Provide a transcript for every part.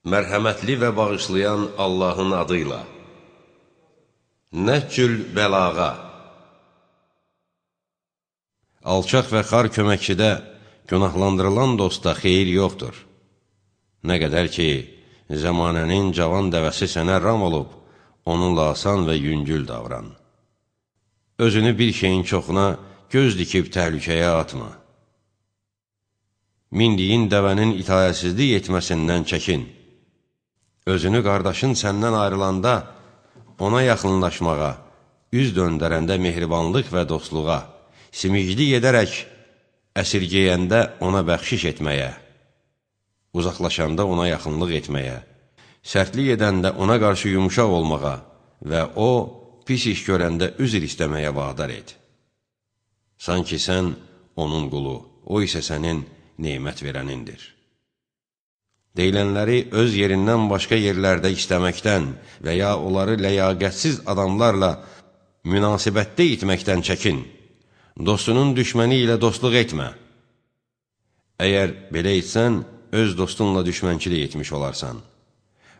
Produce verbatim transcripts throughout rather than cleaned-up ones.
Mərhəmətli və bağışlayan Allahın adıyla. Nəhcül bəlağa. Alçaq və xar köməkçidə günahlandırılan dosta xeyir yoxdur. Nə qədər ki, zəmanənin cavan dəvəsi sənə ram olub, onunla asan və yüngül davran. Özünü bir şeyin çoxuna göz dikib təhlükəyə atma. Mindiyin dəvənin itayətsizlik etməsindən çəkin. Özünü qardaşın səndən ayrılanda, ona yaxınlaşmağa, üz döndərəndə mehribanlıq və dostluğa, simiclik edərək, əsirgəyəndə ona bəxşiş etməyə, uzaqlaşanda ona yaxınlıq etməyə, sərtlik edəndə ona qarşı yumuşaq olmağa və o, pis iş görəndə üzr istəməyə vadar et. Sanki sən onun qulu, o isə sənin neymət verənindir. Deyilənləri öz yerindən başqa yerlərdə istəməkdən və ya onları ləyaqətsiz adamlarla münasibətdə itməkdən çəkin. Dostunun düşməni ilə dostluq etmə. Əgər belə etsən, öz dostunla düşmənçilik etmiş olarsan.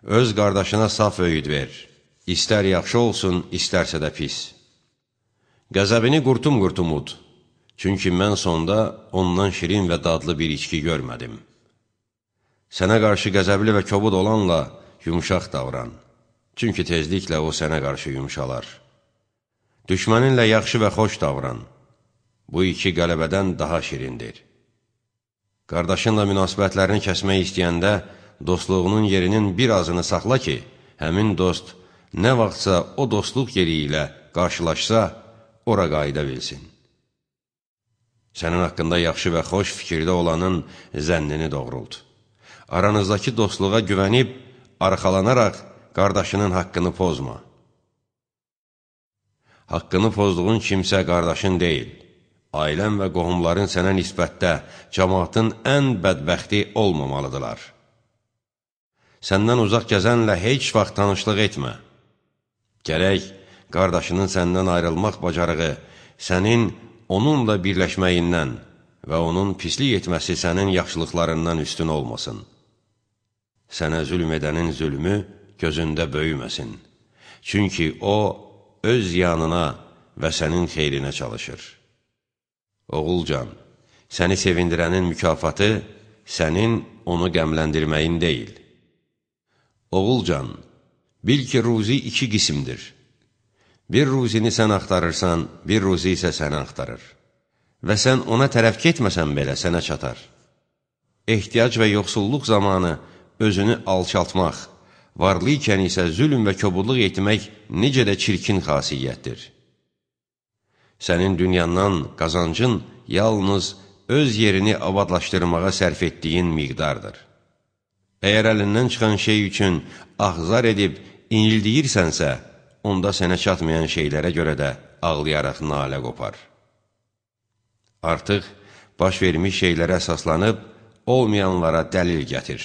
Öz qardaşına saf öyüd ver. İstər yaxşı olsun, istərsə də pis. Qəzəbini qurtum-qurtum ud. Çünki mən sonda ondan şirin və dadlı bir içki görmədim. Sənə qarşı qəzəbli və kobud olanla yumuşaq davran. Çünki tezliklə o sənə qarşı yumuşalar. Düşməninlə yaxşı və xoş davran. Bu iki qələbədən daha şirindir. Qardaşınla münasibətlərini kəsmək istəyəndə, dostluğunun yerinin bir azını saxla ki, həmin dost nə vaxtsa o dostluq yeri ilə qarşılaşsa, ora qayıda bilsin. Sənin haqqında yaxşı və xoş fikirdə olanın zənnini doğrult. Aranızdakı dostluğa güvənib, arxalanaraq qardaşının haqqını pozma. Haqqını pozduğun kimsə qardaşın deyil. Ailən və qohumların sənə nisbətdə cəmaatın ən bədbəxti olmamalıdırlar. Səndən uzaq gəzənlə heç vaxt tanışlıq etmə. Gərək qardaşının səndən ayrılmaq bacarığı sənin onunla birləşməyindən və onun pislik etməsi sənin yaxşılıqlarından üstün olmasın. Sənə zülm edənin zülmü gözündə böyüməsin. Çünki o, öz yanına və sənin xeyrinə çalışır. Oğulcan, səni sevindirənin mükafatı sənin onu qəmləndirməyin deyil. Oğulcan, bil ki, ruzi iki qismdir. Bir ruzini sən axtarırsan, bir ruzi isə səni axtarır. Və sən ona tərəf getməsən belə sənə çatar. Ehtiyac və yoxsulluq zamanı özünü alçaltmaq, varlı ikən isə zülm və kobudluq etmək necə də çirkin xasiyyətdir. Sənin dünyandan qazancın yalnız öz yerini abadlaşdırmağa sərf etdiyin miqdardır. Əgər əlindən çıxan şey üçün ahzar edib inildiyirsənsə, onda sənə çatmayan şeylərə görə də ağlayaraq nalə qopar. Artıq baş vermiş şeylərə əsaslanıb, olmayanlara dəlil gətir.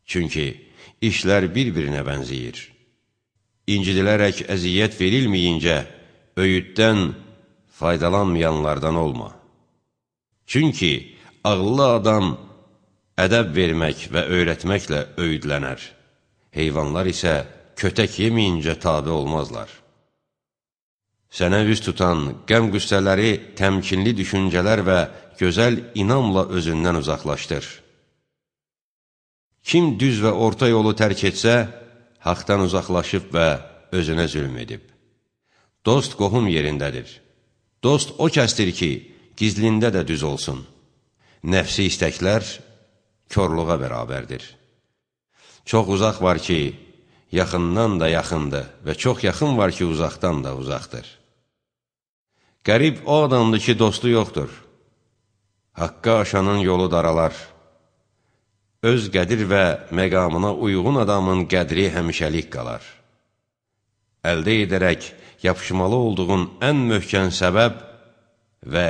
Çünki işlər bir-birinə bənziyir. İncidilərək əziyyət verilməyincə, öyüddən faydalanmayanlardan olma. Çünki ağıllı adam ədəb vermək və öyrətməklə öyüdlənər. Heyvanlar isə kötək yeməyincə tabe olmazlar. Sənə üz tutan qəm-qüssələri təmkinli düşüncələr və gözəl inamla özündən uzaqlaşdır. Kim düz və orta yolu tərk etsə, haqdan uzaqlaşıb və özünə zülm edib. Dost qohum yerindədir. Dost o kəsdir ki, gizlində də düz olsun. Nəfsi istəklər körluğa bərabərdir. Çox uzaq var ki, yaxından da yaxındır və çox yaxın var ki, uzaqdan da uzaqdır. Qərib o adamdır ki, dostu yoxdur. Haqqa aşanın yolu daralar. Öz qədir və məqamına uyğun adamın qədri həmişəlik qalar. Əldə edərək yapışmalı olduğun ən möhkəm səbəb və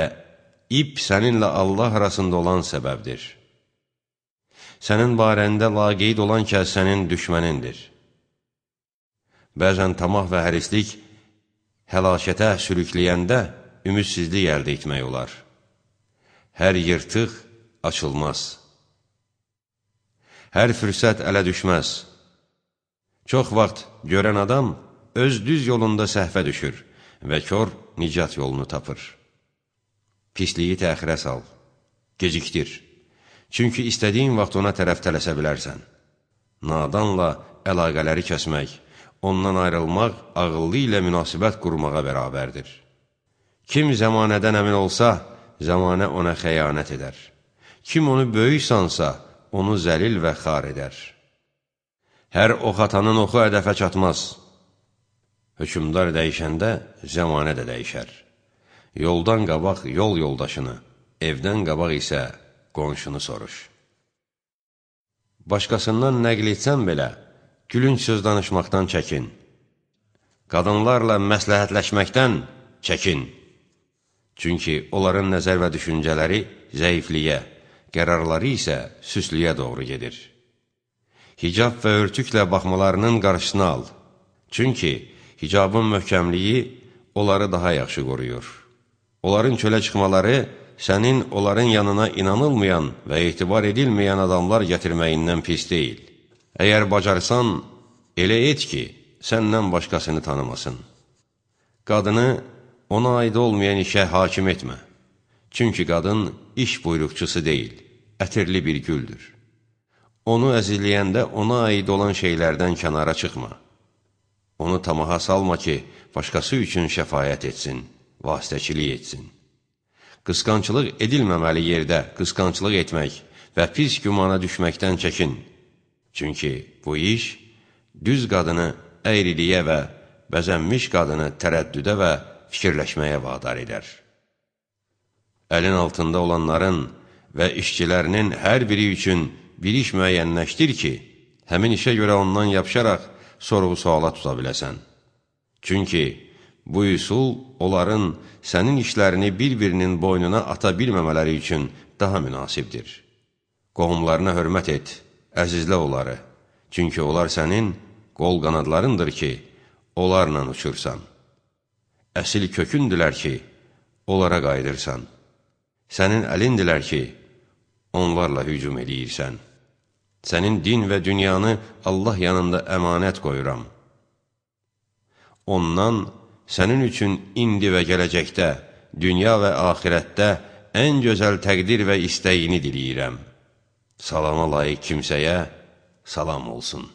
ip səninlə Allah arasında olan səbəbdir. Sənin barəndə laqeyd olan kəs sənin düşmənindir. Bəzən tamah və hərislik həlakətə sürükləyəndə ümidsizlik əldə etmək olar. Hər yırtıq açılmaz. Hər fürsət ələ düşməz. Çox vaxt görən adam öz düz yolunda səhvə düşür və kör nicat yolunu tapır. Pisliyi təxirə sal, gecikdir. Çünki istədiyin vaxt ona tərəf tələsə bilərsən. Nadanla əlaqələri kəsmək, ondan ayrılmaq ağıllı ilə münasibət qurmağa bərabərdir. Kim zəmanədən əmin olsa, zəmanə ona xəyanət edər. Kim onu böyük sansa, onu zəlil və xar edər. Hər ox atanın oxu hədəfə çatmaz. Hökümdar dəyişəndə zəmanə də dəyişər. Yoldan qabaq yol yoldaşını, evdən qabaq isə qonşunu soruş. Başqasından nəql etsən belə, gülünc söz danışmaqdan çəkin. Qadınlarla məsləhətləşməkdən çəkin. Çünki onların nəzər və düşüncələri zəifliyə, qərarları isə süslüyə doğru gedir. Hicab və örtüklə baxmalarının qarşısını al. Çünki hicabın möhkəmliyi onları daha yaxşı qoruyur. Onların çölə çıxmaları sənin onların yanına inanılmayan və etibar edilməyən adamlar gətirməyindən pis deyil. Əgər bacarsan, elə et ki, səndən başqasını tanımasın. Qadını ona aid olmayan işə hakim etmə. Çünki qadın iş buyruqçusu deyil, ətirli bir güldür. Onu əzizləyəndə ona aid olan şeylərdən kənara çıxma. Onu tamaha salma ki, başqası üçün şəfayət etsin, vasitəçilik etsin. Qısqançılıq edilməməli yerdə qısqançılıq etmək və pis gümana düşməkdən çəkin. Çünki bu iş düz qadını əyriliyə və bəzənmiş qadını tərəddüdə və fikirləşməyə vadar edər. Əlin altında olanların və işçilərinin hər biri üçün bir iş müəyyənləşdir ki, həmin işə görə ondan yapışaraq sorğu-suala tuta biləsən. Çünki bu üsul onların sənin işlərini bir-birinin boynuna ata bilməmələri üçün daha münasibdir. Qohumlarına hörmət et, əzizlə onları. Çünki onlar sənin qol qanadlarındır ki, onlarla uçursan. Əsil kökündülər ki, onlara qayıdırsan. Sənin əlindilər ki, onlarla hücum edirsən. Sənin din və dünyanı Allah yanında əmanət qoyuram. Ondan sənin üçün indi və gələcəkdə, dünya və axirətdə ən gözəl təqdir və istəyini diləyirəm. Salama layiq kimsəyə salam olsun.